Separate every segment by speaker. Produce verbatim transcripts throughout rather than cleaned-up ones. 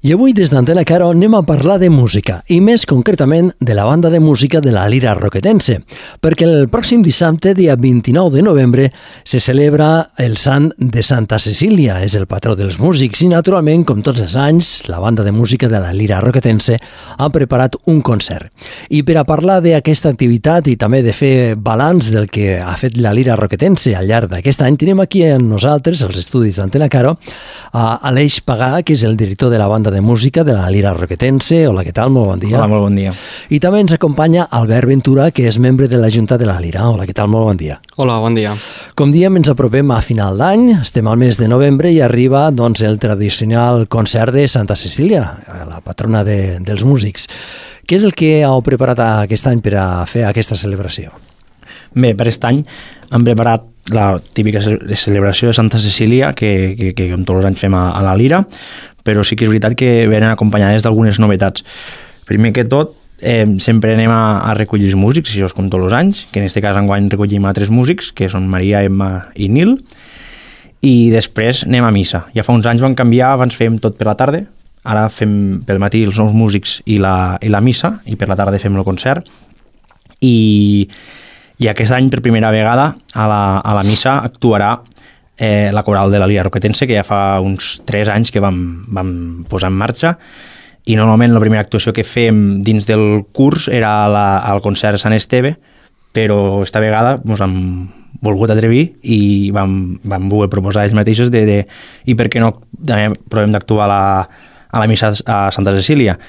Speaker 1: I avui des d'Antena Caro anem a parlar de música, i més concretament de la banda de música de la Lira Roquetense, perquè el pròxim dissabte, dia vint-i-nou de novembre, se celebra el Sant de Santa Cecília, és el patró dels músics, i naturalment, com tots els anys, la banda de música de la Lira Roquetense ha preparat un concert. I per a parlar d'aquesta activitat i també de fer balanç del que ha fet la Lira Roquetense al llarg d'aquest any, tenim aquí amb nosaltres, als estudis d'Antena Caro, a Aleix Pagà, que és el director de la banda de música de la Lira Roquetense. Hola, què tal? Molt bon dia.
Speaker 2: Hola, molt bon dia.
Speaker 1: I també ens acompanya Albert Ventura, que és membre de la Junta de la Lira. Hola, què tal? Molt bon dia.
Speaker 3: Hola, bon dia.
Speaker 1: Com diem, ens apropem a final d'any, estem al mes de novembre i arriba doncs, el tradicional concert de Santa Cecília, la patrona de, dels músics. Què és el que heu preparat aquest any per a fer aquesta celebració?
Speaker 2: Bé, per aquest any hem preparat la típica celebració de Santa Cecília, que, que, que com tots els anys fem a, a la Lira, però sí que és veritat que venen acompanyades d'algunes novetats. Primer que tot, eh, sempre anem a, a recollir els músics, això és com tots els anys, que en aquest cas enguany recollim a tres músics, que són Maria, Emma i Nil, i després anem a missa. Ja fa uns anys vam canviar, abans fèiem tot per la tarda, ara fem pel matí els nous músics i la, i la missa, i per la tarda fem el concert, i, i aquest any per primera vegada a la, a la missa actuarà Eh, la coral de la Lira Roquetense, que ja fa uns tres anys que vam, vam posar en marxa, i normalment la primera actuació que fem dins del curs era la, al concert Sant Esteve, però esta vegada ens hem volgut atrevir i vam, vam voler proposar ells mateixos de, de, i per què no també provem d'actuar a la, a la missa a Santa Cecília.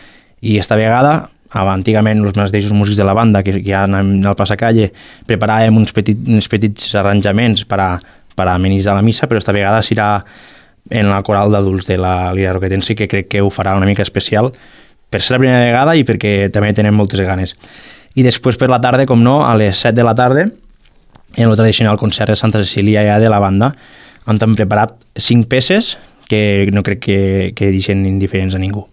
Speaker 2: I esta vegada, antigament els mateixos músics de la banda que ja anem al passacalle preparàvem uns, petit, uns petits arranjaments per a per amenitzar la missa, però esta vegada serà en la coral d'adults de la Lira Roquetense, que crec que ho farà una mica especial per ser la primera vegada i perquè també tenen moltes ganes. I després per la tarda, com no, a les set de la tarda, en el tradicional concert de Santa Cecília ja de la banda, on hem preparat cinc peces que no crec que, que deixen indiferents a ningú.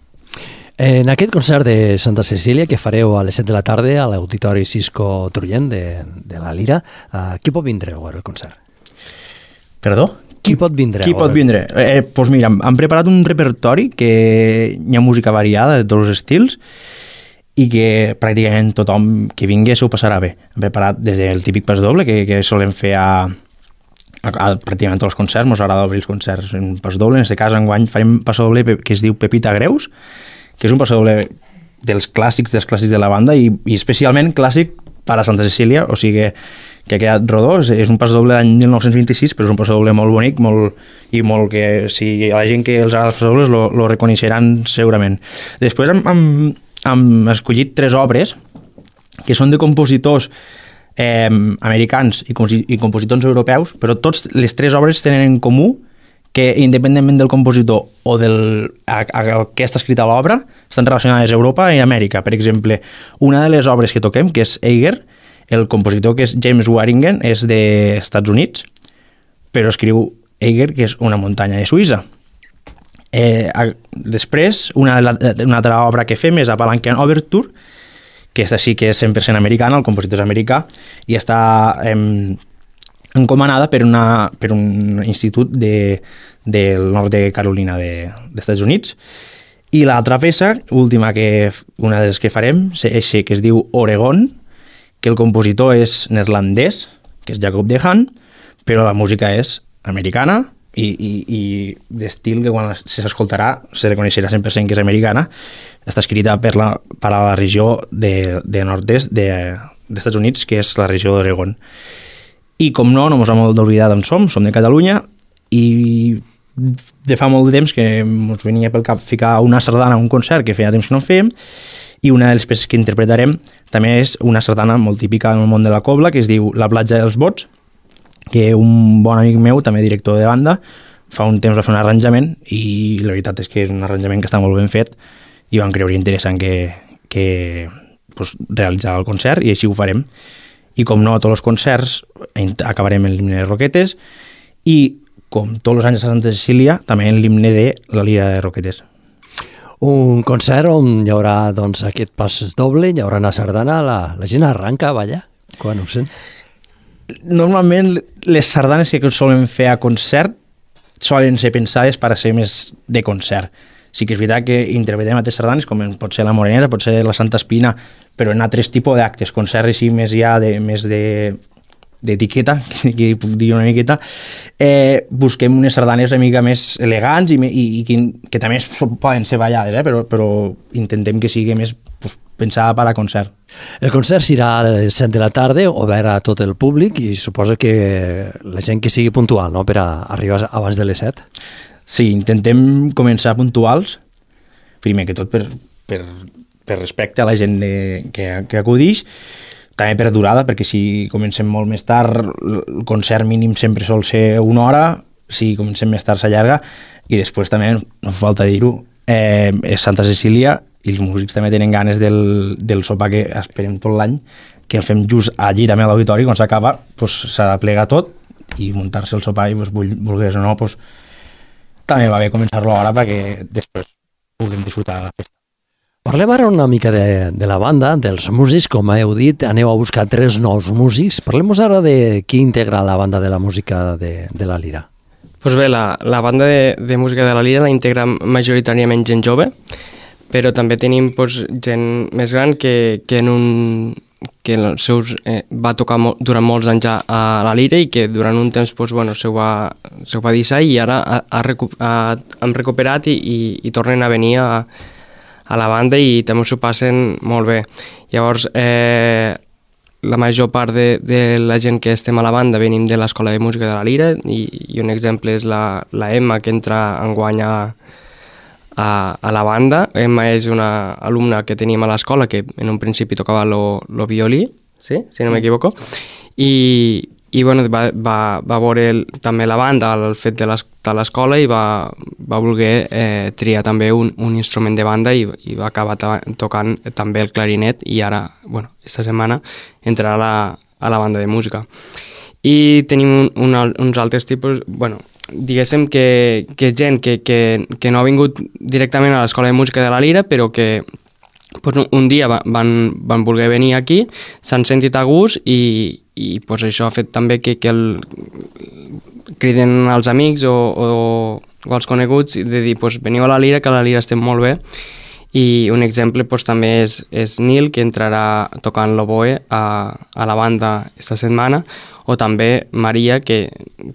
Speaker 1: En aquest concert de Santa Cecília que fareu a les set de la tarda a l'Auditori Cisco Trullent de, de la Lira, uh, qui pot vindre a veure el concert?
Speaker 2: Perdó?
Speaker 1: Qui pot vindre?
Speaker 2: Qui pot vindre? Eh, doncs mira, hem preparat un repertori que hi ha música variada de tots els estils i que pràcticament tothom que vingui s'ho passarà bé. Hem preparat des del típic pas doble que, que solem fer a, a, a pràcticament tots els concerts, ens agrada obrir els concerts en pas doble. En aquest cas, enguany farem pas doble que es diu Pepita Greus, que és un pas doble dels clàssics, dels clàssics de la banda i, i especialment clàssic per a Santa Cecília, o sigui que ha quedat rodó, és un passadoble d'any mil nou-cents vint-i-sis, però és un passadoble molt bonic molt, i molt que si la gent que els agrada els passadobles lo, lo reconeixeran segurament. Després hem, hem, hem escollit tres obres que són de compositors eh, americans i, i compositors europeus, però tots les tres obres tenen en comú que independentment del compositor o del a, a, a què està escrita l'obra, estan relacionades a Europa i Amèrica. Per exemple, una de les obres que toquem, que és Eiger, el compositor que és James Waringen és dels Estats Units, però escriu Eiger, que és una muntanya de Suïssa. Eh, a, després, una, una altra obra que fem és a Palanquin Overture, que aquesta sí que és cent per cent americana, el compositor és americà, i està eh, encomanada per, una, per un institut de, del nord de Carolina de, dels Estats Units. I l'altra peça, última, que una de les que farem, és que es diu Oregon, que el compositor és neerlandès, que és Jacob de Haan, però la música és americana i, i, i d'estil que quan s'escoltarà se reconeixerà cent per cent que és americana. Està escrita per la, per a la regió de, de nord-est de, dels Estats Units, que és la regió d'Oregon. I com no, no ens hem d'oblidar d'on som, som de Catalunya, i de fa molt de temps que ens venia pel cap ficar una sardana a un concert que feia temps que no fèiem, i una de les peces que interpretarem també és una sardana molt típica en el món de la cobla, que es diu La platja dels bots, que un bon amic meu, també director de banda, fa un temps va fer un arranjament i la veritat és que és un arranjament que està molt ben fet i vam creure interessant que, que pues, realitzar el concert i així ho farem. I com no, a tots els concerts acabarem en l'himne de Roquetes i com tots els anys a Santa Cecília també en l'himne de la Lira de Roquetes.
Speaker 1: Un concert on hi haurà doncs, aquest pas doble, hi haurà una sardana, la, la gent arranca a ballar quan ho sent.
Speaker 2: Normalment les sardanes que solen fer a concert solen ser pensades per a ser més de concert. Sí que és veritat que interpretem altres sardanes, com pot ser la Moreneta, pot ser la Santa Espina, però en altres tipus d'actes, concerts així més ja de, més de d'etiqueta, que puc dir una miqueta, eh, busquem unes sardanes una mica més elegants i, i, i que, que també poden ser ballades, eh, però, però intentem que sigui més pues, pensada per a concert.
Speaker 1: El concert serà a les set de la tarda, obert a tot el públic, i suposo que la gent que sigui puntual, no?, per a arribar abans de les set.
Speaker 2: Sí, intentem començar puntuals, primer que tot per, per, per respecte a la gent de, que, que acudix, també per durada, perquè si comencem molt més tard, el concert mínim sempre sol ser una hora, si comencem més tard s'allarga, i després també, no fa falta dir-ho, eh, és Santa Cecília, i els músics també tenen ganes del, del sopar que esperem tot l'any, que el fem just allí també a l'auditori, quan s'acaba pues, s'ha de plegar tot i muntar-se el sopar i pues, volgués o no, pues, també va bé començar-lo ara perquè després puguem disfrutar de la festa.
Speaker 1: Parlem ara una mica de, de la banda, dels músics, com heu dit, aneu a buscar tres nous músics. Parlem-nos ara de qui integra la banda de la música de, de la Lira.
Speaker 3: Pues bé, la, la banda de, de música de la Lira la integra majoritàriament gent jove, però també tenim pues, gent més gran que, que, en un, que en els seus, eh, va tocar mo, durant molts anys a, a la Lira i que durant un temps pues, bueno, se ho va, se ho va deixar i ara ha, ha recu, ha, han recuperat i, i, i tornen a venir a, a la banda i també s'ho passen molt bé. Llavors, eh, la major part de, de la gent que estem a la banda venim de l'Escola de Música de la Lira i, i un exemple és la, la Emma, que entra enguany a, a, a la banda. Emma és una alumna que tenim a l'escola que en un principi tocava lo, lo violí, sí? Si no m'equivoco, i, i bueno, va, va, va veure el, també la banda, el fet de l'escola i va, va voler eh, triar també un, un instrument de banda i, i va acabar tocant també el clarinet i ara, bueno, esta setmana entrarà a la, a la banda de música. I tenim un, un, uns altres tipus, bueno, diguéssim que, que gent que, que, que no ha vingut directament a l'Escola de Música de la Lira, però que pues, un dia van, van voler venir aquí, s'han sentit a gust i, i pues, això ha fet també que, que el, criden als amics o, o, o als coneguts de dir pues, veniu a la Lira, que a la Lira estem molt bé. I un exemple pues, també és, és Nil, que entrarà tocant l'oboe a, a la banda esta setmana, o també Maria, que,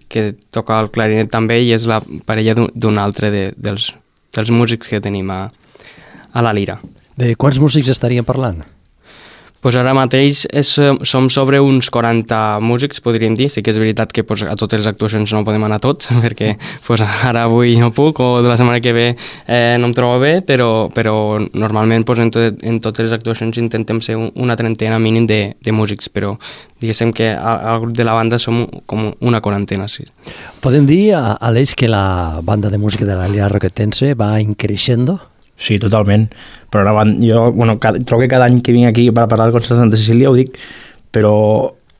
Speaker 3: que toca el clarinet també i és la parella d'un altre de, dels, dels músics que tenim a, a la Lira.
Speaker 1: De quants músics estaríem parlant?
Speaker 3: Pues ara mateix és, som sobre uns quaranta músics, podríem dir. Sí que és veritat que pues, a totes les actuacions no podem anar tots, perquè pues, ara avui no puc o de la setmana que ve eh, no em trobo bé, però, però normalment pues, en, tot, en totes les actuacions intentem ser una trentena mínim de, de músics, però diguéssim que al grup de la banda som com una quarantena, sí.
Speaker 1: Podem dir, Aleix, que la banda de música de la Lira Roquetense va increixendo?
Speaker 2: Sí, totalment. Però ara, jo bueno, cada, trobo que cada any que vinc aquí per parlar del concert de Santa Cecília ho dic, però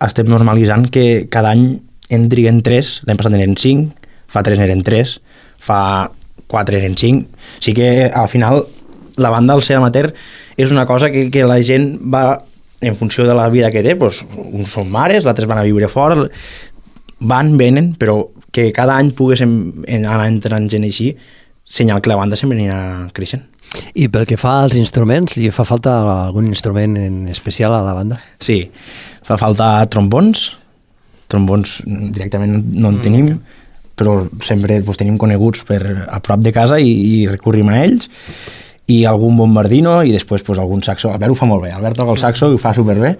Speaker 2: estem normalitzant que cada any en triguen tres, l'any passat eren cinc, fa tres eren tres, fa quatre eren cinc. Sí que al final la banda al ser amateur és una cosa que, que la gent va en funció de la vida que té, doncs, uns són mares, l'altres van a viure fora, van, venen, però que cada any poguéssim anar entrant gent així, senyal que la banda sempre anirà creixent.
Speaker 1: I pel que fa als instruments, li fa falta algun instrument en especial a la banda?
Speaker 2: Sí, fa falta trombons, trombons directament no en tenim, però sempre pues, tenim coneguts per a prop de casa i, i recurrim a ells, i algun bombardino i després pues, algun saxo. Albert ho fa molt bé, Albert toca el saxo i ho fa superbé,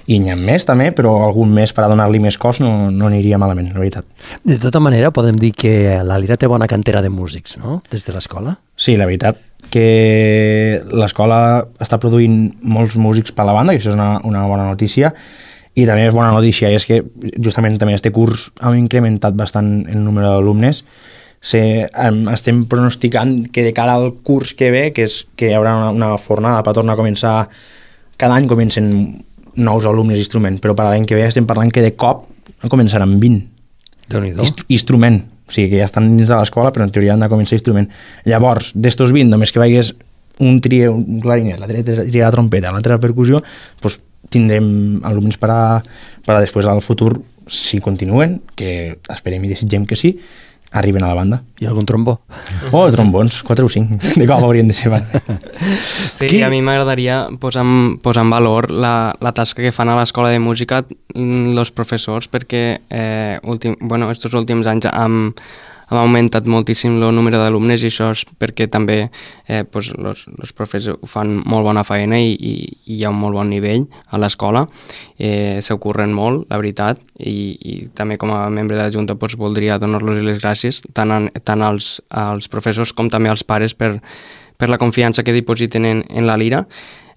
Speaker 2: i n'hi ha més també, però algun més per a donar-li més cos no, no aniria malament, la veritat.
Speaker 1: De tota manera, podem dir que la Lira té bona cantera de músics, no?, des de l'escola?
Speaker 2: Sí, la veritat que l'escola està produint molts músics per a la banda, que això és una, una bona notícia, i també és bona notícia és que justament també este curs hem incrementat bastant el número d'alumnes. Se, um, estem pronosticant que de cara al curs que ve, que, és, que hi haurà una, una fornada per tornar a començar, cada any comencen nous alumnes d'instrument, però per l'any que ve estem parlant que de cop començaran vint.
Speaker 1: Déu-n'hi-do.
Speaker 2: Inst instrument, o sigui que ja estan dins de l'escola, però en teoria han de començar instrument. Llavors, d'estos vint, només que veies un tria un clarinet, l'altre tria la trompeta, l'altre la percussió, doncs tindrem alumnes per a, per a després al futur, si continuen, que esperem i desitgem que sí, arriben a la banda.
Speaker 1: I algun trombó?
Speaker 2: Oh, trombons, quatre o cinc, de com haurien de ser.
Speaker 3: Sí, Qui? A mi m'agradaria posar, posar en valor la, la tasca que fan a l'escola de música els professors, perquè eh, últim, bueno, estos últims anys amb ha augmentat moltíssim el número d'alumnes i això és perquè també eh, pues, los, los profes fan molt bona feina i, i, i hi ha un molt bon nivell a l'escola, eh, s'ocorren molt, la veritat, i, i també com a membre de la Junta pues, voldria donar-los les gràcies tant, a, tant als, als professors com també als pares per, per la confiança que dipositen en, en la lira.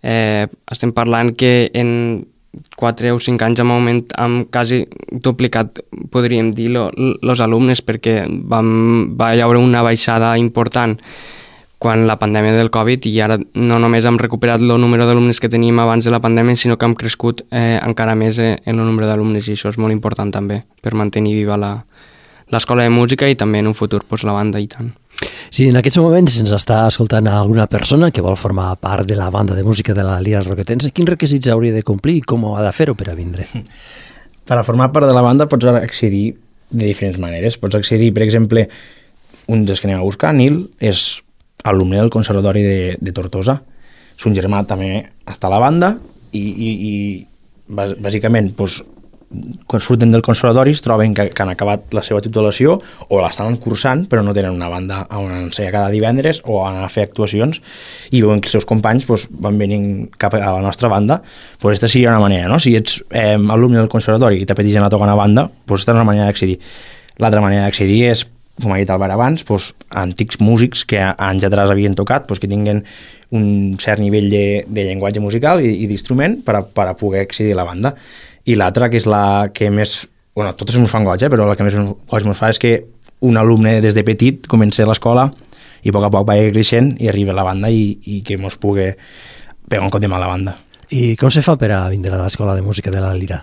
Speaker 3: Eh, estem parlant que en quatre o cinc anys hem augment, hem quasi duplicat, podríem dir, els alumnes, perquè vam, va haver una baixada important quan la pandèmia del Covid i ara no només hem recuperat el número d'alumnes que teníem abans de la pandèmia, sinó que hem crescut eh, encara més eh, en el número d'alumnes i això és molt important també per mantenir viva la, l'escola de música i també en un futur pues, la banda i tant.
Speaker 1: Si en aquests moments ens està escoltant alguna persona que vol formar part de la banda de música de la Lira Roquetense, quins requisits hauria de complir i com ha de fer-ho per a vindre?
Speaker 2: Per a formar part de la banda pots accedir de diferents maneres. Pots accedir, per exemple, un dels que anem a buscar, Nil, és alumne del Conservatori de, de Tortosa. Son germà també està a la banda i, i, i bàsicament doncs, quan surten del conservatori es troben que, que han acabat la seva titulació o l'estan cursant però no tenen una banda on ensenyar cada divendres o anar a fer actuacions i veuen que els seus companys pues, van venint cap a la nostra banda, pues aquesta seria una manera, no? Si ets eh, alumne del conservatori i t'apeteixen a tocar una banda, pues aquesta és una manera d'accedir. L'altra manera d'accedir és, com ha dit Albert abans, pues, antics músics que anys atrás havien tocat, pues, que tinguen un cert nivell de, de llenguatge musical i, i d'instrument per a, per a poder accedir a la banda. I l'altra, que és la que més... Bueno, totes ens fan goig, eh? Però la que més goig ens fa és que un alumne des de petit comença a l'escola i a poc a poc va creixent i arriba a la banda i, i que ens pugui pegar un cop de mà a la banda.
Speaker 1: I com se fa per a vindre a l'escola de música de la Lira?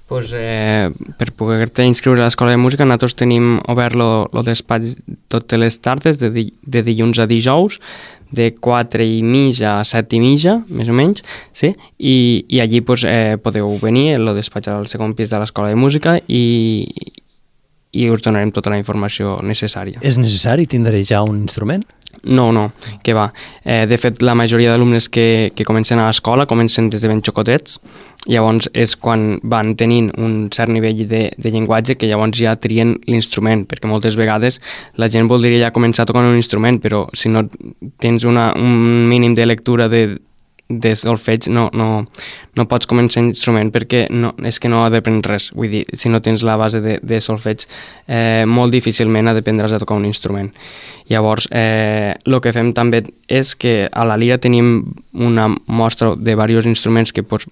Speaker 3: Pues, eh, per poder-te inscriure a l'escola de música nosaltres tenim obert el despatx totes les tardes de, di de dilluns a dijous de quatre i mitja a set i mitja, més o menys, sí? I, i allí pues, eh, podeu venir, el despatx al segon pis de l'escola de música i, i us donarem tota la informació necessària.
Speaker 1: És necessari tindre ja un instrument?
Speaker 3: No, no, que va. Eh, de fet, la majoria d'alumnes que, que comencen a l'escola comencen des de ben xocotets, llavors és quan van tenint un cert nivell de, de llenguatge que llavors ja trien l'instrument, perquè moltes vegades la gent voldria ja començar tocant un instrument, però si no tens una, un mínim de lectura de, de solfeig no, no, no pots començar instrument perquè no, és que no depèn res. Vull dir, si no tens la base de, de solfeig, eh, molt difícilment aprendràs a tocar un instrument. Llavors, eh, el que fem també és que a la Lira tenim una mostra de diversos instruments que pues,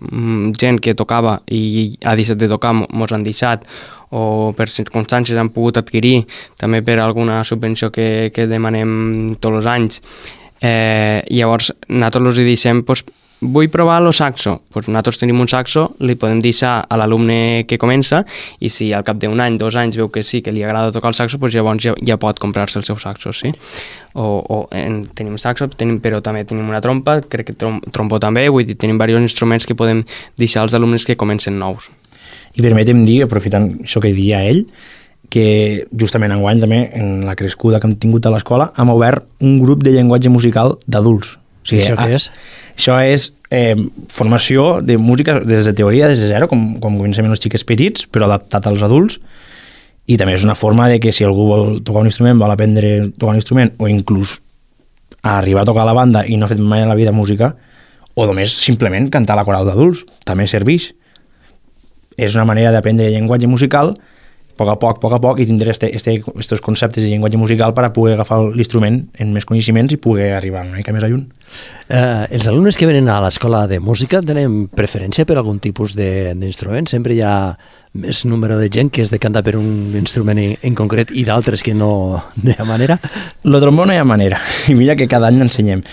Speaker 3: gent que tocava i ha deixat de tocar mos han deixat o per circumstàncies han pogut adquirir, també per alguna subvenció que, que demanem tots els anys. Eh, llavors, nosaltres els deixem, pues, vull provar el saxo. Pues nosaltres tenim un saxo, li podem deixar a l'alumne que comença i si al cap d'un any, dos anys veu que sí, que li agrada tocar el saxo, pues llavors ja, ja pot comprar-se el seu saxo, sí? O, o en, tenim saxo, tenim, però també tenim una trompa, crec que trom, trompó també, vull dir, tenim diversos instruments que podem deixar als alumnes que comencen nous.
Speaker 2: I permetem dir, aprofitant això que dia ell, que justament enguany també, en la crescuda que hem tingut a l'escola, hem obert un grup de llenguatge musical d'adults.
Speaker 1: O sigui, això què és?
Speaker 2: Això és eh, formació de música des de teoria, des de zero, com, com comencem els xiquets petits, però adaptat als adults, i també és una forma de que si algú vol tocar un instrument, vol aprendre a tocar un instrument, o inclús arribar a tocar a la banda i no ha fet mai en la vida música, o només simplement cantar a la coral d'adults, també serveix. És una manera d'aprendre llenguatge musical a poc a poc, a poc a poc, i tindré aquests este, este, conceptes de llenguatge musical per a poder agafar l'instrument en més coneixements i poder arribar una mica més a lluny.
Speaker 1: Eh, els alumnes que venen a l'escola de música tenen preferència per algun tipus d'instrument? Sempre hi ha més número de gent que es decanta per un instrument en, en concret i d'altres que no, no hi ha manera?
Speaker 2: Lo trombó no hi ha manera, i mira que cada any l'ensenyem.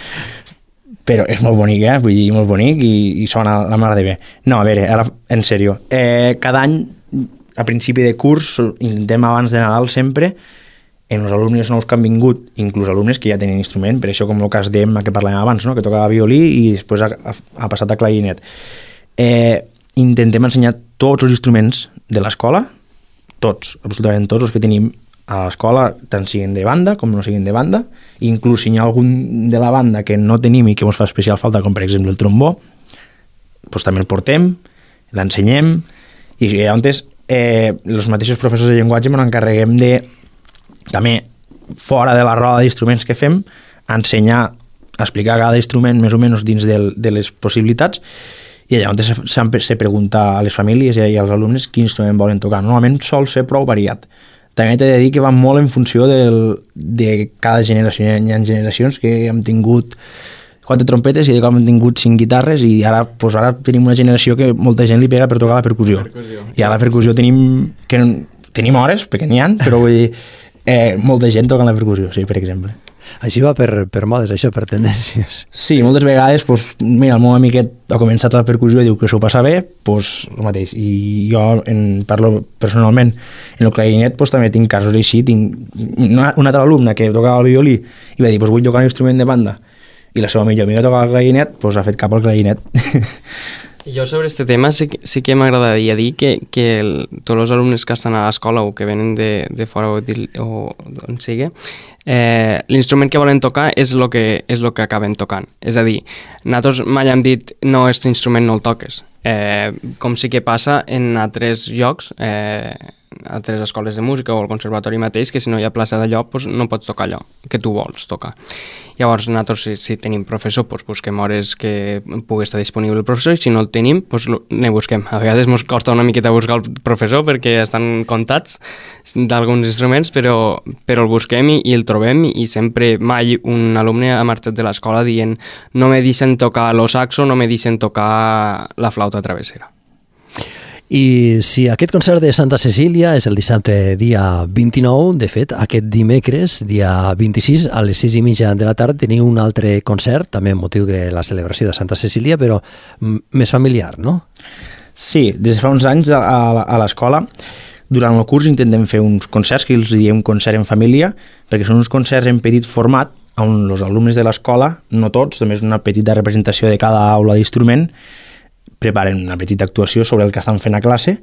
Speaker 2: Però és molt bonic, eh? Vull dir, molt bonic i, i sona la mar de bé. No, a veure, ara, en sèrio, eh, cada any a principi de curs intentem abans de Nadal sempre en els alumnes nous que han vingut, inclús alumnes que ja tenen instrument, per això com el cas d'Emma que parlàvem abans, no? Que tocava violí i després ha, ha passat a clarinet. Eh, intentem ensenyar tots els instruments de l'escola, tots, absolutament tots els que tenim a l'escola, tant siguin de banda com no siguin de banda, inclús si hi ha algun de la banda que no tenim i que ens fa especial falta, com per exemple el trombó, doncs també el portem, l'ensenyem, i llavors eh, els mateixos professors de llenguatge ens encarreguem de, també, fora de la roda d'instruments que fem, ensenyar, explicar cada instrument més o menys dins del, de les possibilitats, i llavors sempre se pregunta a les famílies i als alumnes quin instrument volen tocar. Normalment sol ser prou variat. També t'he de dir que va molt en funció del, de cada generació. Hi ha generacions que hem tingut quatre trompetes i de com hem tingut cinc guitarres, i ara, doncs ara tenim una generació que molta gent li pega per tocar la percussió. percussió. I a la percussió tenim, que tenim hores, perquè n'hi ha, però vull dir, eh, molta gent toca la percussió, sí, per exemple.
Speaker 1: Així va per, per modes, això, per tendències.
Speaker 2: Sí, moltes vegades, doncs, mira, el meu amiquet ha començat la percussió i diu que s'ho passa bé, doncs el mateix. I jo en parlo personalment en el clarinet, doncs també tinc casos així. Tinc una, una altra alumna que tocava el violí i va dir, doncs vull tocar un instrument de banda. I la seva millor amiga toca el clarinet, doncs ha fet cap al clarinet.
Speaker 3: Jo sobre aquest tema sí, sí que m'agradaria dir que, que el, tots els alumnes que estan a l'escola o que venen de, de fora o, o d'on sigui, eh, l'instrument que volen tocar és el que, és lo que acaben tocant. És a dir, nosaltres mai hem dit no, aquest instrument no el toques. Eh, com sí que passa en altres llocs, eh, altres escoles de música o el conservatori mateix, que si no hi ha plaça d'allò, doncs no pots tocar allò que tu vols tocar. Llavors, nosaltres, si, si tenim professor, doncs busquem hores que pugui estar disponible el professor, i si no el tenim, doncs ne busquem. A vegades ens costa una miqueta buscar el professor perquè estan comptats d'alguns instruments, però, però el busquem i, i el trobem, i sempre mai un alumne ha marxat de l'escola dient no me deixen tocar lo saxo, no me deixen tocar la flauta travessera.
Speaker 1: I si aquest concert de Santa Cecília és el dissabte dia vint-i-nou, de fet, aquest dimecres, dia vint-i-sis, a les sis i mitja de la tarda, teniu un altre concert, també amb motiu de la celebració de Santa Cecília, però més familiar, no?
Speaker 2: Sí, des de fa uns anys a, a, a l'escola, durant el curs intentem fer uns concerts que els diem concert en família, perquè són uns concerts en petit format, on els alumnes de l'escola, no tots, només una petita representació de cada aula d'instrument, preparen una petita actuació sobre el que estan fent a classe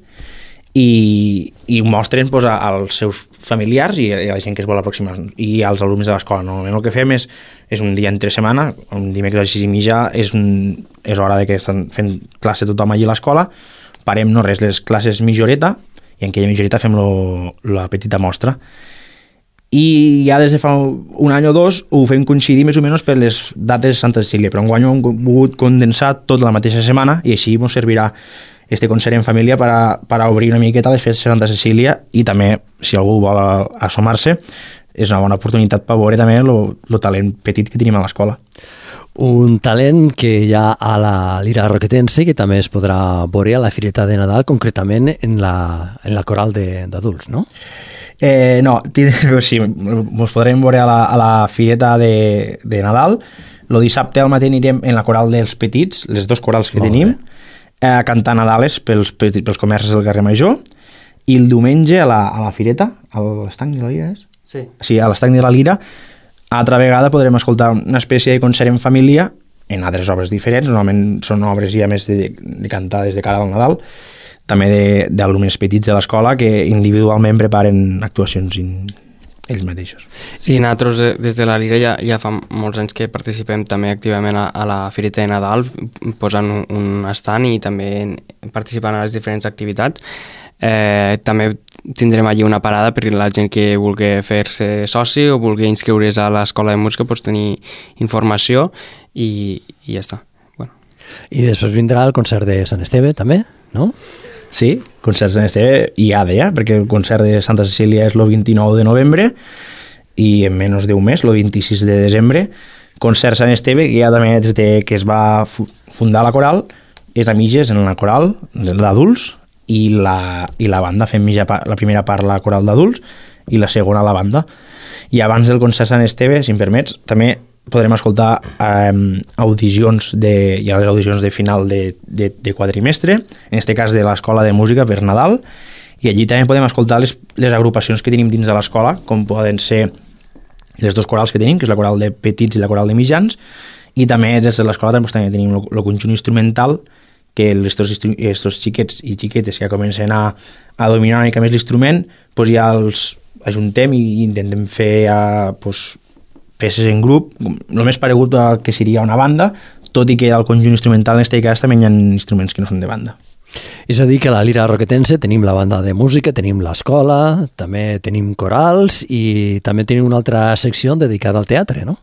Speaker 2: i, i ho mostren doncs, als seus familiars i a la gent que es vol aproximar i als alumnes de l'escola. Normalment el que fem és, és un dia entre setmana, un dimecres a les sis i mitja és, un, és hora de que estan fent classe tothom allí a l'escola, parem no res les classes mitja horeta i en aquella mitja horeta fem lo, la petita mostra. I ja des de fa un any o dos ho fem coincidir més o menys per les dates de Santa Cecília, però enguany ho hem volgut condensar tota la mateixa setmana i així ens servirà este concert en família per a, per a obrir una miqueta les festes de Santa Cecília, i també, si algú vol assomar-se, és una bona oportunitat per veure també el talent petit que tenim a l'escola.
Speaker 1: Un talent que hi ha a la Lira Roquetense, que també es podrà veure a la Fireta de Nadal, concretament en la, en la coral d'adults, no?
Speaker 2: Eh, no, sí, ens podrem veure a la, a la Fireta de, de Nadal. El dissabte al matí anirem en la coral dels petits, les dos corals que Molt tenim, eh, a cantar Nadales pels, pels comerços del carrer Major, i el diumenge a la, a la Fireta, a l'estanc de la Lira, és?
Speaker 3: Sí.
Speaker 2: Sí, a l'estanc de la Lira, altra vegada podrem escoltar una espècie de concert en família en altres obres diferents, normalment són obres ja més de, de cantades de cara al Nadal, també d'alumnes petits de l'escola que individualment preparen actuacions in, ells mateixos.
Speaker 3: Sí, nosaltres des de la Lira ja, ja fa molts anys que participem també activament a, a la Fireta de Nadal, posant un, un estant i també participant a les diferents activitats. Eh, també tindrem allí una parada per la gent que vulgui fer-se soci o vulgui inscriure's a l'escola de música, pots tenir informació i, i ja està. Bueno.
Speaker 1: I després vindrà el concert de Sant Esteve també, no?
Speaker 2: Sí, concert de Sant Esteve hi ha de ja, perquè el concert de Santa Cecília és el vint-i-nou de novembre i en menys d'un mes, el vint-i-sis de desembre. Concert Sant Esteve, que ja també des de que es va fundar la coral, és a mitges en la coral d'adults i la, i la banda, fem mitja part, la primera part la coral d'adults i la segona la banda. I abans del concert Sant Esteve, si em permets, també podrem escoltar eh, audicions de, hi ha les audicions de final de, de, de quadrimestre, en aquest cas de l'Escola de Música per Nadal, i allí també podem escoltar les, les agrupacions que tenim dins de l'escola, com poden ser les dos corals que tenim, que és la coral de petits i la coral de mitjans, i també des de l'escola també, també tenim el conjunt instrumental, que aquests xiquets i xiquetes que comencen a, a dominar una mica més l'instrument, doncs ja els l'ajuntem i intentem fer uh, pues, peces en grup, el més paregut a que seria una banda, tot i que al conjunt instrumental en este cas també hi ha instruments que no són de banda.
Speaker 1: És a dir, que a la Lira Roquetense tenim la banda de música, tenim l'escola, també tenim corals i també tenim una altra secció dedicada al teatre, no?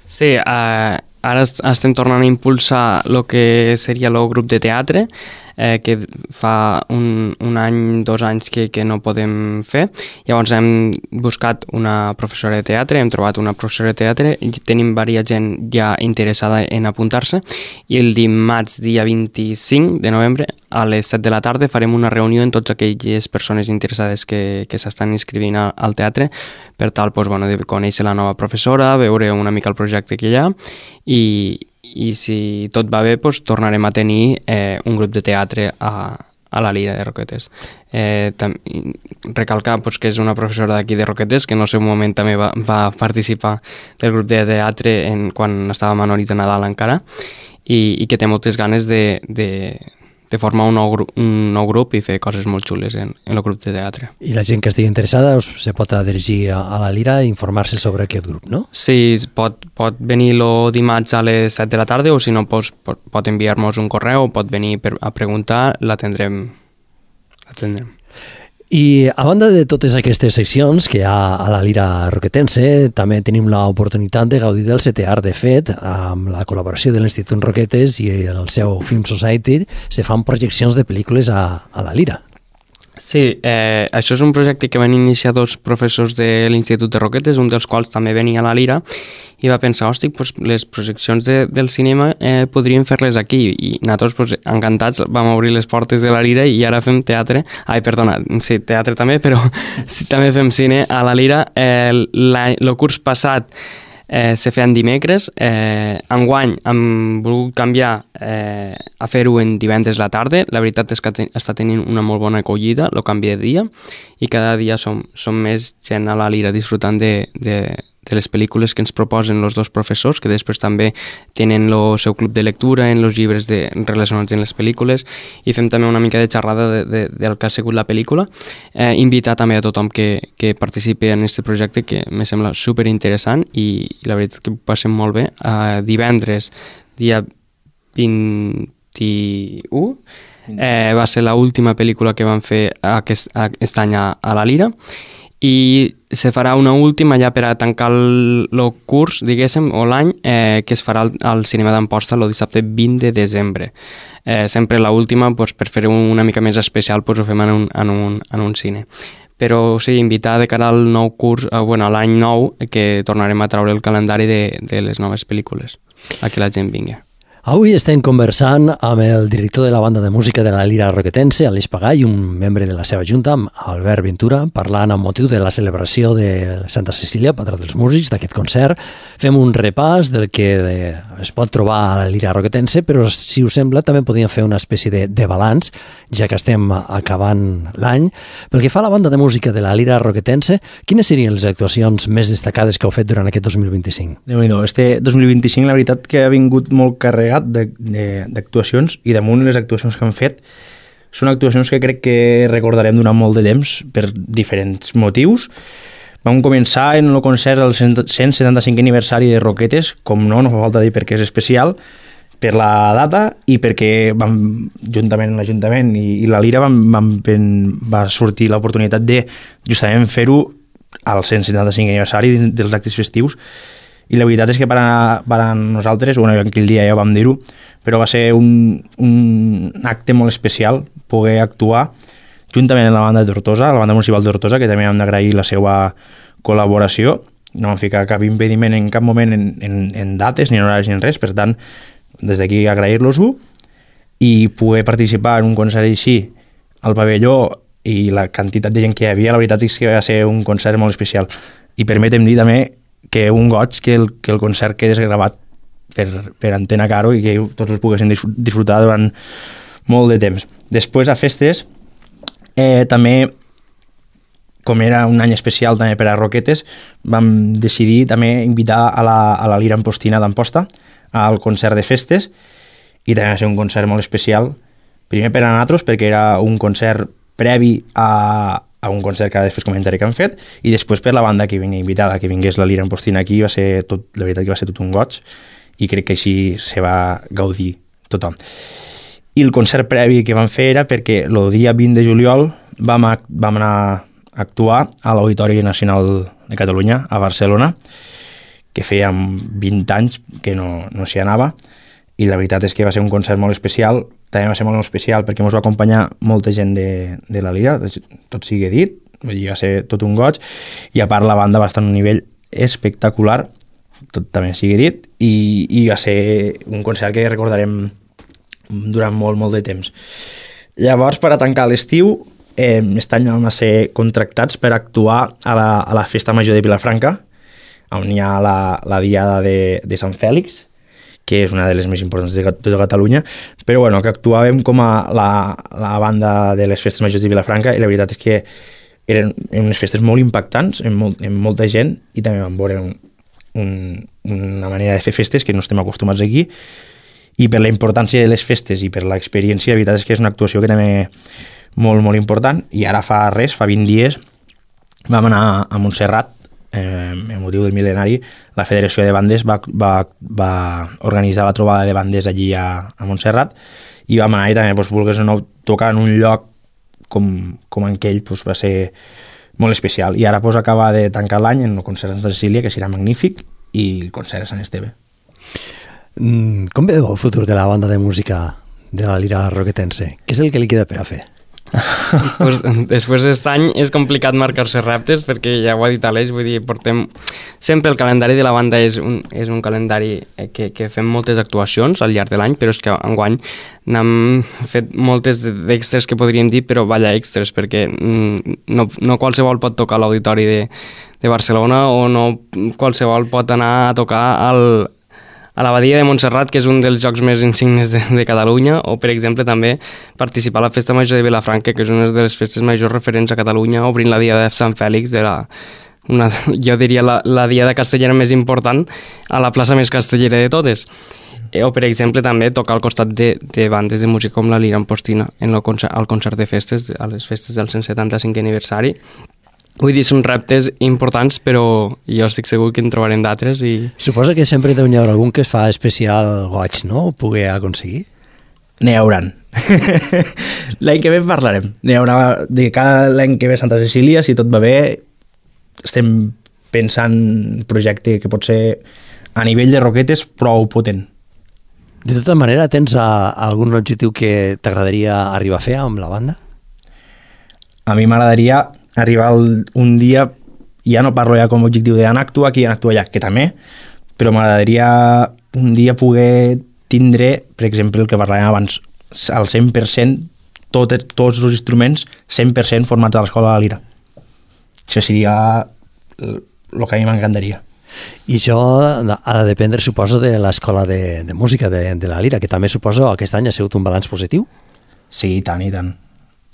Speaker 3: Sí, eh, ara estem tornant a impulsar el que seria el grup de teatre, eh, que fa un, un any, dos anys que, que no podem fer. Llavors hem buscat una professora de teatre, hem trobat una professora de teatre i tenim diversa gent ja interessada en apuntar-se, i el dimarts, dia vint-i-cinc de novembre, a les set de la tarda farem una reunió amb totes aquelles persones interessades que, que s'estan inscrivint a, al teatre, per tal pues, bueno, de conèixer la nova professora, veure una mica el projecte que hi ha, i, i si tot va bé pues, tornarem a tenir eh, un grup de teatre a, a la Lira de Roquetes. Eh, tam, recalcar pues, que és una professora d'aquí de Roquetes, que en el seu moment també va, va participar del grup de teatre en, quan estava a Manolito Nadal encara, i, i que té moltes ganes de, de, de formar un nou, un nou grup i fer coses molt xules en, en el grup de teatre.
Speaker 1: I la gent que estigui interessada us, se pot dirigir a, a la Lira i informar-se sobre aquest grup, no?
Speaker 3: Sí, pot, pot venir el dimarts a les set de la tarda, o si no pues, pot, pot enviar-nos un correu, pot venir per, a preguntar, l'atendrem. l'atendrem.
Speaker 1: I a banda de totes aquestes seccions que hi ha a la Lira Roquetense, també tenim l'oportunitat de gaudir del setè art. De fet, amb la col·laboració de l'Institut Roquetes i el seu Film Society, se fan projeccions de pel·lícules a, a la Lira.
Speaker 3: Sí, eh, això és un projecte que van iniciar dos professors de l'Institut de Roquetes, un dels quals també venia a la Lira, i va pensar, hosti, pues, les projeccions de, del cinema eh, podríem fer-les aquí, i nosaltres pues, encantats vam obrir les portes de la Lira i ara fem teatre, ai, perdona, sí, teatre també, però sí, també fem cine a la Lira. Eh, el curs passat Eh, se feien dimecres, eh, enguany hem volgut canviar eh, a fer-ho en divendres a la tarda. La veritat és que ten, està tenint una molt bona acollida, el canvi de dia, i cada dia som, som més gent a la Lira disfrutant de, de, de les pel·lícules que ens proposen els dos professors, que després també tenen el seu club de lectura en els llibres de, relacionats amb les pel·lícules, i fem també una mica de xerrada de, de, del que ha sigut la pel·lícula. Eh, invitar també a tothom que, que participi en aquest projecte, que me sembla superinteressant, i, i la veritat que ho passem molt bé. Eh, divendres, dia vint-i-u, eh, va ser l'última pel·lícula que vam fer aquest, aquest any a, a la Lira, i se farà una última ja per a tancar el, el curs, diguéssim, o l'any, eh, que es farà al, al Cinema d'Amposta el dissabte vint de desembre. Eh, sempre l'última, pues, per fer una mica més especial, pues, ho fem en un, en un, en un cine. Però sí, invitar de cara al nou curs, eh, bueno, a l'any nou, que tornarem a treure el calendari de, de les noves pel·lícules, a que la gent vingui.
Speaker 1: Avui estem conversant amb el director de la banda de música de la Lira Roquetense, Aleix Pagà, i un membre de la seva junta, Albert Ventura, parlant amb motiu de la celebració de Santa Cecília, patró dels músics, d'aquest concert. Fem un repàs del que es pot trobar a la Lira Roquetense, però si us sembla també podríem fer una espècie de, de balanç, ja que estem acabant l'any. Pel que fa a la banda de música de la Lira Roquetense, quines serien les actuacions més destacades que heu fet durant aquest dos mil vint-i-cinc?
Speaker 2: Déu-n'hi-do, este dos mil vint-i-cinc la veritat que ha vingut molt carregat d'actuacions, i damunt les actuacions que han fet són actuacions que crec que recordarem durant molt de temps per diferents motius. Vam començar en el concert del cent setanta-cinquè aniversari de Roquetes, com no, no fa falta dir perquè és especial, per la data i perquè vam, juntament amb l'Ajuntament i, i la Lira vam, vam, va sortir l'oportunitat de justament fer-ho al cent setanta-cinquè aniversari dels actes festius. I la veritat és que per a, per a nosaltres, bueno, aquell dia ja vam dir-ho, però va ser un, un acte molt especial poder actuar juntament amb la banda de Tortosa, la banda municipal de Tortosa, que també hem d'agrair la seva col·laboració. No vam ficar cap impediment en cap moment en, en, en dates, ni en horaris, ni en res, per tant, des d'aquí agrair-los-ho, i poder participar en un concert així al pavelló i la quantitat de gent que hi havia, la veritat és que va ser un concert molt especial. I permetem dir també que un goig que el, que el concert quedés gravat per, per Antena Caro i que tots els poguessin disfrutar durant molt de temps. Després, a festes, eh, també, com era un any especial també per a Roquetes, vam decidir també invitar a la, a la Lira Ampostina d'Amposta al concert de festes, i també va ser un concert molt especial, primer per a nosaltres, perquè era un concert previ a, a un concert que després comentaré que han fet, i després per la banda que venia invitada, que vingués la Lira Ampostina aquí, va ser tot, la veritat que va ser tot un goig, i crec que així se va gaudir tothom. I el concert previ que vam fer era perquè el dia vint de juliol vam, a, vam anar a actuar a l'Auditori Nacional de Catalunya, a Barcelona, que feia vint anys que no, no s'hi anava, i la veritat és que va ser un concert molt especial. També va ser molt especial perquè ens va acompanyar molta gent de, de la Lira, tot sigui dit, vull dir, va ser tot un goig, i a part la banda va estar en un nivell espectacular, tot també sigui dit, i, i va ser un concert que recordarem durant molt, molt de temps. Llavors, per a tancar l'estiu, eh, aquest any vam ser contractats per actuar a la, a la Festa Major de Vilafranca, on hi ha la, la Diada de, de Sant Fèlix, que és una de les més importants de tota Catalunya, però bueno, que actuàvem com a la, la banda de les festes majors de Vilafranca, i la veritat és que eren unes festes molt impactants, amb, molt, amb molta gent, i també vam veure un, un, una manera de fer festes que no estem acostumats aquí, i per la importància de les festes i per l'experiència, la veritat és que és una actuació que també molt, molt important, i ara fa res, fa vint dies, vam anar a Montserrat, eh, amb motiu del mil·lenari. La Federació de Bandes va, va, va organitzar la trobada de bandes allí a, a Montserrat, i vam anar i també, doncs, volgués o no, tocar en un lloc com, com en aquell, doncs, va ser molt especial. I ara doncs, acaba de tancar l'any en el concert de Santa Cecília, que serà magnífic, i el concert a Sant Esteve.
Speaker 1: Mm, com veu el futur de la banda de música de la Lira Roquetense? Què és el que li queda per a fer?
Speaker 3: Pues, després d'aquest any és complicat marcar-se reptes, perquè ja ho ha dit Aleix, vull dir, portem sempre el calendari de la banda és un, és un calendari que, que fem moltes actuacions al llarg de l'any, però és que enguany n'hem fet moltes d'extres que podríem dir, però vaya extres, perquè no, no qualsevol pot tocar a l'Auditori de, de Barcelona, o no qualsevol pot anar a tocar al a l'Abadia de Montserrat, que és un dels jocs més insignes de, de Catalunya, o, per exemple, també participar a la Festa Major de Vilafranca, que és una de les festes majors referents a Catalunya, obrint la Diada de Sant Fèlix, de la, una, jo diria la, la Diada castellera més important, a la plaça més castellera de totes. O, per exemple, també tocar al costat de, de bandes de música com la Lira Ampostina, en el concert, al concert de festes, a les festes del cent setanta-cinquè aniversari. Vull dir, són reptes importants, però jo estic segur que en trobarem d'altres. I...
Speaker 1: Suposa que sempre deu n'hi haurà algun que es fa especial goig, no?, o pugui aconseguir?
Speaker 2: N'hi hauran. L'any que ve parlarem. N'hi haurà de cada l'any que ve Santa Cecília, si tot va bé, estem pensant un projecte que pot ser a nivell de roquetes prou potent.
Speaker 1: De tota manera, tens a, a algun objectiu que t'agradaria arribar a fer amb la banda?
Speaker 2: A mi m'agradaria arribar un dia, ja no parlo ja com a objectiu d'anar a actuar aquí i anar a actuar allà, que també, però m'agradaria un dia poder tindre, per exemple, el que parlàvem abans, al cent per cent, tot, tots els instruments cent per cent formats a l'Escola de la Lira. Això seria el que a mi m'encantaria.
Speaker 1: I això ha de dependre, suposo, de l'Escola de, de Música de, de la Lira, que també suposo aquest any ha sigut un balanç positiu?
Speaker 2: Sí, i tant, i tant.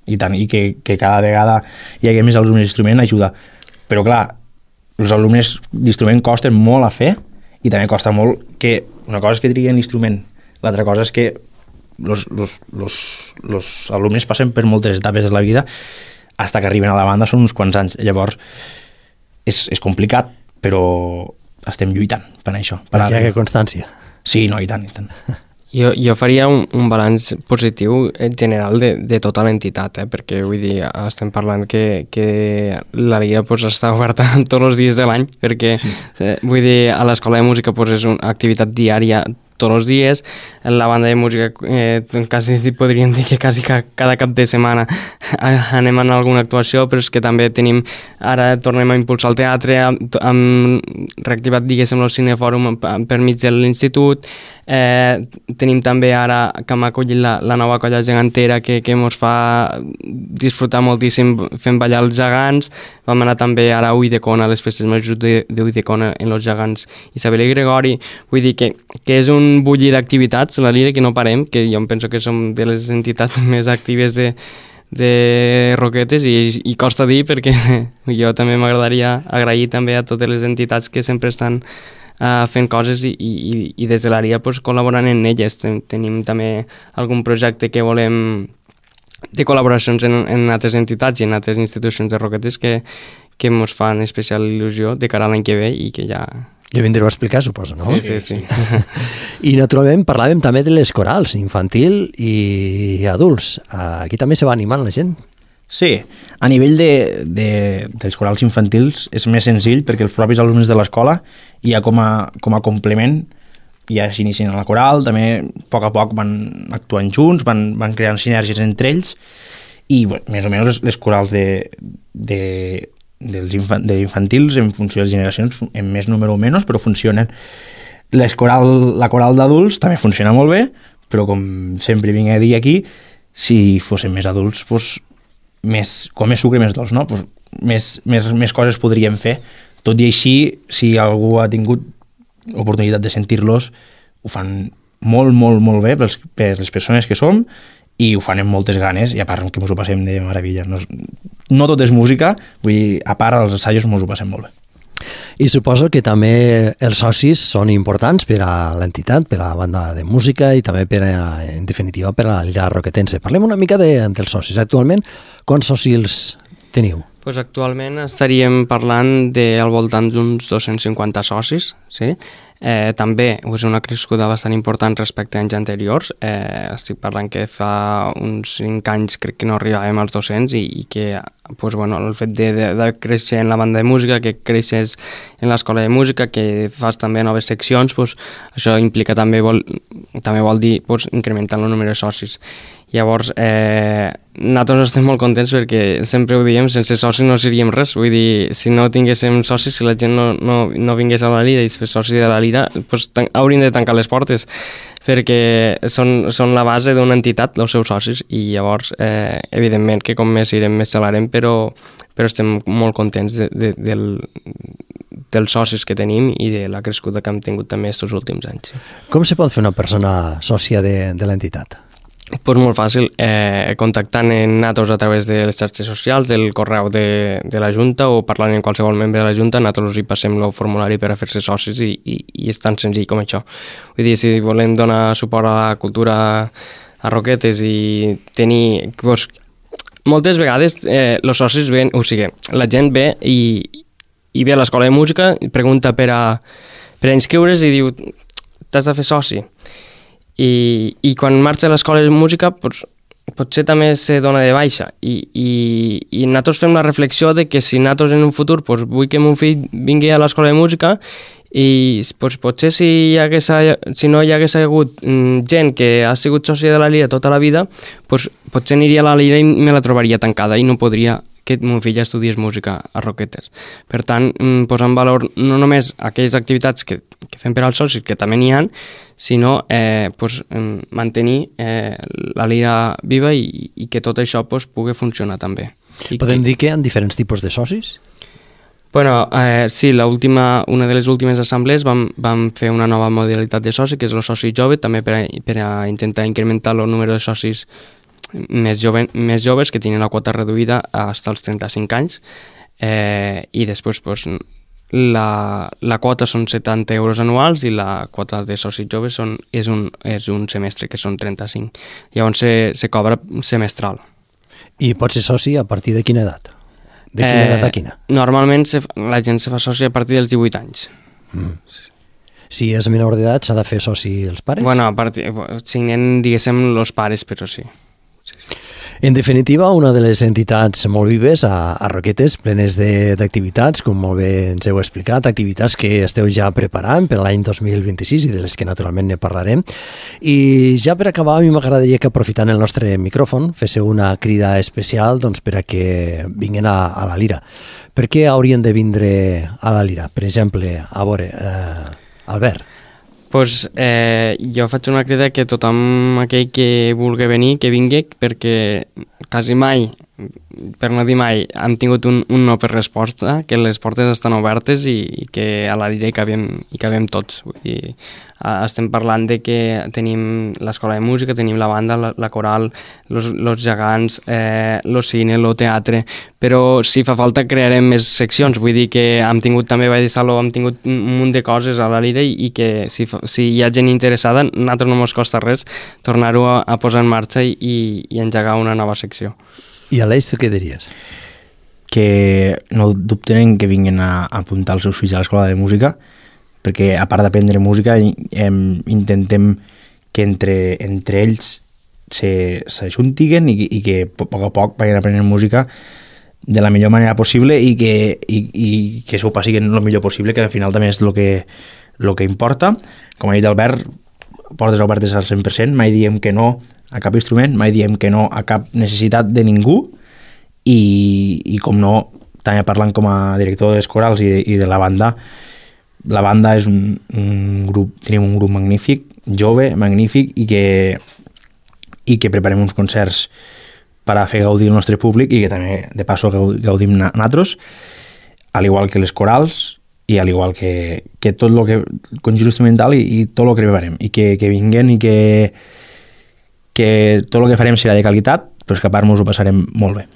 Speaker 2: i tant, i que, que cada vegada hi hagi més alumnes d'instrument ajuda. Però clar, els alumnes d'instrument costen molt a fer, i també costa molt que una cosa és que triguen l'instrument, l'altra cosa és que los, los, los, los alumnes passen per moltes etapes de la vida fins que arriben a la banda, són uns quants anys. Llavors és, és complicat, però estem lluitant per això.
Speaker 1: Per Perquè hi ha constància.
Speaker 2: Sí, no, i tant, i tant.
Speaker 3: Jo, jo faria un, un balanç positiu general de, de tota l'entitat, eh? Perquè vull dir, estem parlant que, que la Lira pues, està oberta tots els dies de l'any, perquè sí. eh, vull dir, a l'Escola de Música pues, és una activitat diària tots els dies, en la banda de música eh, quasi podríem dir que quasi cada cap de setmana anem a alguna actuació, però és que també tenim, ara tornem a impulsar el teatre, hem reactivat, diguéssim, el cinefòrum per mig de l'institut, eh, tenim també ara que hem acollit la, la nova colla gegantera que, que ens fa disfrutar moltíssim fent ballar els gegants. Vam anar també ara a Ulldecona, a les festes majors d'Ulldecona en els gegants Isabel i Gregori. Vull dir que, que és un bullir d'activitats, la Lira, que no parem, que jo em penso que som de les entitats més actives de, de Roquetes, i, i costa dir, perquè jo també m'agradaria agrair també a totes les entitats que sempre estan uh, fent coses, i, i, i des de l'A R I A pues, col·laborant en elles. Ten, tenim també algun projecte que volem de col·laboracions en, en altres entitats i en altres institucions de Roquetes que, que ens fan especial il·lusió de cara a l'any que ve i que ja...
Speaker 1: Ja vindreu a explicar, suposo, no?
Speaker 3: Sí, sí, sí.
Speaker 1: I naturalment parlàvem també de les corals, infantil i adults. Aquí també se va animant la gent.
Speaker 2: Sí, a nivell de, de, dels corals infantils és més senzill perquè els propis alumnes de l'escola ja com a, com a complement ja s'inicien a la coral, també a poc a poc van actuant junts, van, van creant sinergies entre ells i bé, més o menys les, les corals de, de, dels infant, de infantils en funció de les generacions en més número o menys, però funcionen. Les coral, la coral d'adults també funciona molt bé, però com sempre vinc a dir aquí, si fossin més adults, doncs, més, com més sucre més dolç, no? Pues més, més, més coses podríem fer. Tot i així, si algú ha tingut oportunitat de sentir-los, ho fan molt, molt, molt bé pels, per les persones que som i ho fan amb moltes ganes i a part que ens ho passem de meravella. No, no tot és música, vull dir, a part als assajos ens ho passem molt bé.
Speaker 1: I suposo que també els socis són importants per a l'entitat, per a la banda de música i també per a, en definitiva per a la Lira Roquetense. Parlem una mica de, dels socis. Actualment, quants socis teniu?
Speaker 3: Pues actualment estaríem parlant del voltant d'uns dos-cents cinquanta socis, sí? Eh, també és una crescuda bastant important respecte a anys anteriors. Eh, estic parlant que fa uns cinc anys crec que no arribàvem als dos-cents i, i que pues, bueno, el fet de, de, de créixer en la banda de música, que creixes en l'escola de música, que fas també noves seccions, pues, això implica també vol, també vol dir pues, incrementar el número de socis. Llavors, eh, nosaltres estem molt contents perquè sempre ho diem, sense socis no seríem res. Vull dir, si no tinguéssim socis, si la gent no, no, no vingués a la Lira i es fes soci de la Lira, doncs hauríem de tancar les portes perquè són, són la base d'una entitat, els seus socis, i llavors, eh, evidentment, que com més irem, més xalarem, però, però estem molt contents de, de, del, dels socis que tenim i de la crescuda que hem tingut també aquests últims anys.
Speaker 1: Com se pot fer una persona sòcia de, de l'entitat?
Speaker 3: Pues molt fàcil, eh, contactant en nosaltres a través de les xarxes socials, del correu de, de la Junta o parlant amb qualsevol membre de la Junta, nosaltres hi passem el formulari per a fer-se socis i, i, i és tan senzill com això. Vull dir, si volem donar suport a la cultura a Roquetes i tenir... Pues, moltes vegades eh, els socis ven, o sigui, la gent ve i, i ve a l'escola de música, pregunta per a, per a inscriure's i diu t'has de fer soci. I, i quan marxa a l'escola de música pues, potser també se dona de baixa i, i, i nosaltres fem la reflexió de que si nosaltres en un futur pues, vull que mon fill vingui a l'escola de música i pues, potser si, hi hagués, si no hi hagués hagut mm, gent que ha sigut sòcia de la Lira tota la vida pues, potser aniria a la Lira i me la trobaria tancada i no podria que mon fill estudiés música a Roquetes. Per tant, posar en valor no només aquelles activitats que, que fem per als socis, que també n'hi ha, sinó eh, pues, mantenir eh, la Lira viva i, i que tot això pues, pugui funcionar també. I
Speaker 1: Podem
Speaker 3: que...
Speaker 1: dir que hi ha diferents tipus de socis?
Speaker 3: Bueno, eh, sí, la última, una de les últimes assemblees vam, vam fer una nova modalitat de soci, que és el soci jove, també per a, per a intentar incrementar el número de socis més, jove, més joves que tenen la quota reduïda fins als trenta-cinc anys eh, i després pues, la, la quota són setanta euros anuals i la quota de socis joves són, és, un, és un semestre que són trenta-cinc. Llavors se, se cobra semestral.
Speaker 1: I pot ser soci a partir de quina edat? De quina eh, edat a quina?
Speaker 3: Normalment se, la gent se fa soci a partir dels divuit anys.
Speaker 1: Mm. Si és menor d'edat s'ha de fer soci els pares?
Speaker 3: Bueno, a partir, signen, diguéssim, els pares, però sí. Sí, sí.
Speaker 1: En definitiva, una de les entitats molt vives a, a Roquetes, plenes d'activitats, com molt bé ens heu explicat, activitats que esteu ja preparant per l'any dos mil vint-i-sis i de les que naturalment ne parlarem. I ja per acabar, a mi m'agradaria que aprofitant el nostre micròfon féssiu una crida especial doncs, per a que vinguin a, a la Lira. Per què haurien de vindre a la Lira? Per exemple, a veure, eh, Albert.
Speaker 3: Pues, eh, jo faig una crida que tothom aquell que vulgui venir, que vingui, perquè quasi mai, per no dir mai, hem tingut un, un no per resposta, que les portes estan obertes i, i que a la Lira hi cabem, hi cabem tots. Vull dir, estem parlant de que tenim l'escola de música, tenim la banda, la, la coral, els gegants, eh, el cine, el teatre, però si fa falta crearem més seccions. Vull dir que hem tingut també Ball de Saló, hem tingut un munt de coses a la Lira i, i que si, si hi ha gent interessada, a nosaltres no ens costa res tornar-ho a, a posar en marxa i, i engegar una nova secció. selecció.
Speaker 1: I Aleix, tu què diries?
Speaker 2: Que no dubten que vinguin a, a apuntar els seus fills a l'escola de música, perquè a part d'aprendre música em, intentem que entre, entre ells s'ajuntiguen i, i que a poc a poc vagin aprenent música de la millor manera possible i que, i, i que s'ho passin el millor possible, que al final també és el que, el que importa. Com ha dit Albert, portes obertes al cent per cent, mai diem que no a cap instrument, mai diem que no a cap necessitat de ningú i, i com no, també parlant com a director dels corals i de, i de la banda, la banda és un, un grup, tenim un grup magnífic, jove, magnífic i que, i que preparem uns concerts per a fer gaudir el nostre públic i que també, de passo, gaudim nosaltres, al igual que les corals i al igual que, que tot el que conjunt instrumental i, i tot el que preparem i que, que vinguen i que, que tot el que farem serà de qualitat, però és que a part mos ho passarem molt bé.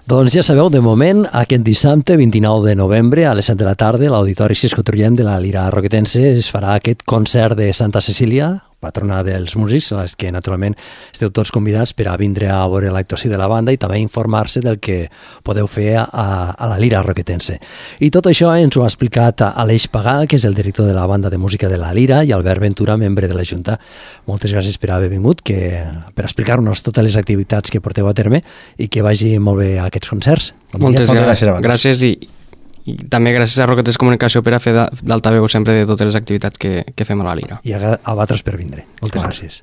Speaker 1: Doncs ja sabeu, de moment, aquest dissabte, vint-i-nou de novembre, a les set de la tarda, a l'Auditori Cisco Trullent de la Lira Roquetense es farà aquest concert de Santa Cecília, patrona dels músics, a les que naturalment esteu tots convidats per a vindre a veure l'actuació de la banda i també informar-se del que podeu fer a, a la Lira Roquetense. I tot això ens ho ha explicat Aleix Pagà, que és el director de la banda de música de la Lira, i Albert Ventura, membre de la Junta. Moltes gràcies per haver vingut, que, per explicar-nos totes les activitats que porteu a terme i que vagi molt bé aquests concerts.
Speaker 3: Moltes, Moltes gràcies, gràcies i, i també gràcies a Roquetes Comunicació per a fer d'altaveu sempre de totes les activitats que, que fem a la Lira.
Speaker 1: I a, a vosaltres per vindre. Moltes Clar. gràcies.